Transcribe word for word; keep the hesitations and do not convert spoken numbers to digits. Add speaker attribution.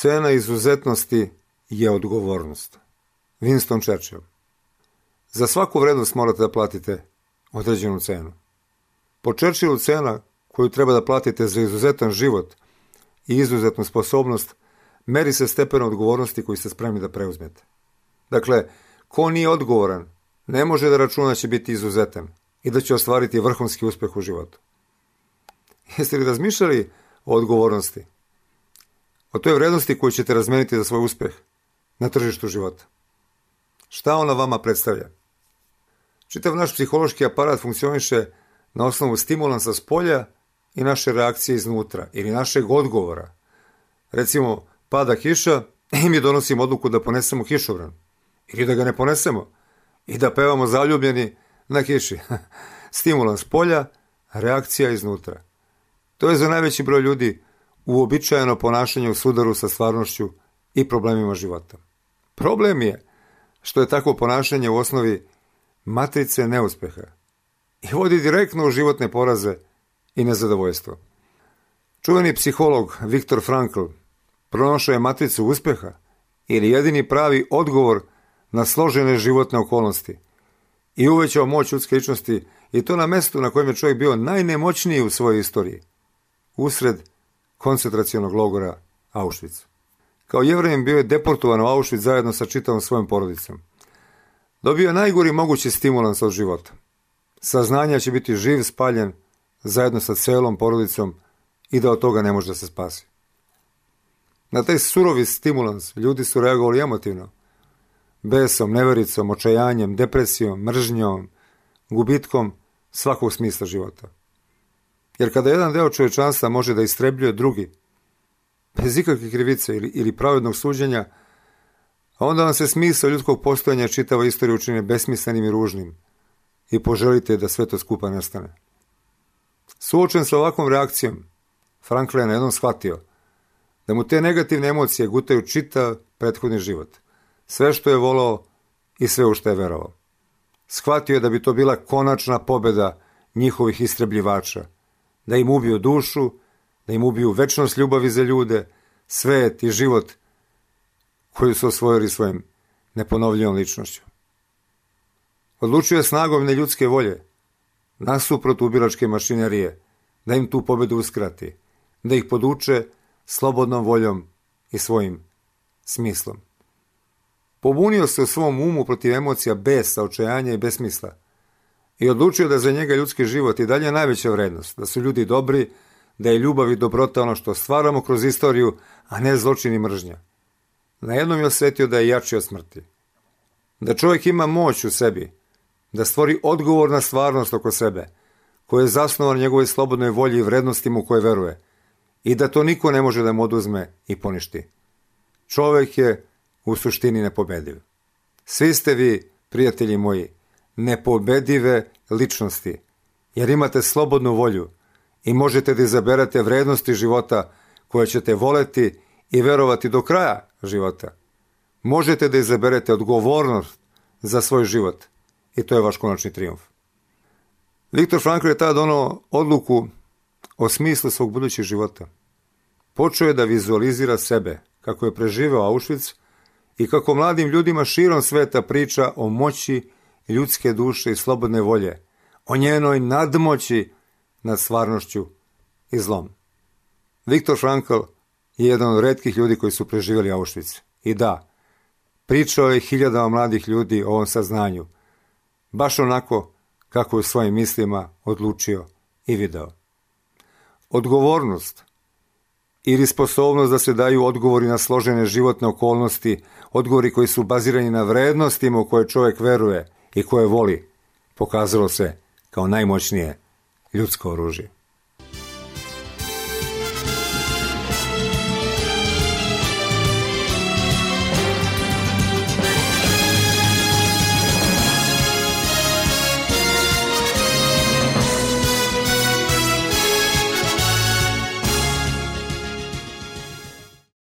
Speaker 1: Cena izuzetnosti je odgovornost. Winston Churchill. Za svaku vrednost morate da platite određenu cenu. Po Churchillu cena koju treba da platite za izuzetan život i izuzetnu sposobnost meri se stepenom odgovornosti koju ste spremni da preuzmete. Dakle, ko nije odgovoran, ne može da računa da će biti izuzetan i da će ostvariti vrhunski uspeh u životu. Jeste li razmišljali o odgovornosti? O toj vrednosti koju ćete razmeniti za svoj uspeh na tržištu života. Šta ona vama predstavlja? Čitav naš psihološki aparat funkcioniše na osnovu stimulansa s polja i naše reakcije iznutra ili našeg odgovora. Recimo, pada kiša i mi donosimo odluku da ponesemo kišobran ili da ga ne ponesemo i da pevamo zaljubljeni na kiši. Stimulans polja, reakcija iznutra. To je za najveći broj ljudi uobičajeno ponašanje u sudaru sa stvarnošću i problemima života. Problem je što je takvo ponašanje u osnovi matrice neuspeha i vodi direktno u životne poraze i nezadovoljstvo. Čuveni psiholog Viktor Frankl pronašao je matricu uspeha ili jedini pravi odgovor na složene životne okolnosti i uvećao moć ljudske ličnosti i to na mestu na kojem je čovjek bio najnemoćniji u svojoj istoriji, usred koncentracionog logora Auschwitz. Kao Jevrejin bio je deportovan u Auschwitz zajedno sa čitavom svojom porodicom. Dobio je najgori mogući stimulans od života. Saznanja će biti živ, spaljen, zajedno sa celom porodicom i da od toga ne može da se spasi. Na taj surovi stimulans ljudi su reagovali emotivno. Besom, nevericom, očajanjem, depresijom, mržnjom, gubitkom svakog smisla života. Jer kada jedan deo čovječanstva može da istrebljuje drugi, bez ikakve krivice ili, ili pravednog suđenja, onda vam se smisao ljudskog postojanja čitava istorija učine besmislenim i ružnim i poželite da sve to skupa nestane. Suočen sa ovakvom reakcijom, Frankl je na jednom shvatio da mu te negativne emocije gutaju čitav prethodni život, sve što je volao i sve u što je verovao. Shvatio je da bi to bila konačna pobjeda njihovih istrebljivača, da im ubiju dušu, da im ubiju večnost ljubavi za ljude, svet i život koju su osvojili svojim neponovljivom ličnošću. Odlučio je snagom neljudske volje, nasuprot ubilačke mašinerije, da im tu pobjedu uskrati, da ih poduče slobodnom voljom i svojim smislom. Pobunio se u svom umu protiv emocija besa, očajanja i besmisla i odlučio da za njega ljudski život i dalje najveća vrednost, da su ljudi dobri, da je ljubav i dobrota ono što stvaramo kroz istoriju, a ne zločin i mržnja. Na jednom je osjetio da je jači od smrti. Da čovjek ima moć u sebi, da stvori odgovor na stvarnost oko sebe, koja je zasnovan njegovoj slobodnoj volji i vrednostima u koje veruje, i da to niko ne može da mu oduzme i poništi. Čovjek je u suštini nepobediv. Svi ste vi, prijatelji moji, nepobedive ličnosti, jer imate slobodnu volju i možete da izaberete vrednosti života koje ćete voleti i verovati do kraja života. Možete da izaberete odgovornost za svoj život i to je vaš konačni trijumf. Viktor Frankl je tada donao odluku o smislu svog budućeg života. Počeo je da vizualizira sebe, kako je preživeo Auschwitz i kako mladim ljudima širom sveta priča o moći ljudske duše i slobodne volje, o njenoj nadmoći nad stvarnošću i zlom. Viktor Frankl je jedan od retkih ljudi koji su preživjeli Auschwitz. I da, pričao je hiljadama mladih ljudi o ovom saznanju, baš onako kako je u svojim mislima odlučio i video. Odgovornost ili sposobnost da se daju odgovori na složene životne okolnosti, odgovori koji su bazirani na vrednostima u koje čovjek veruje i koje voli, pokazalo se kao najmoćnije ljudsko oružje.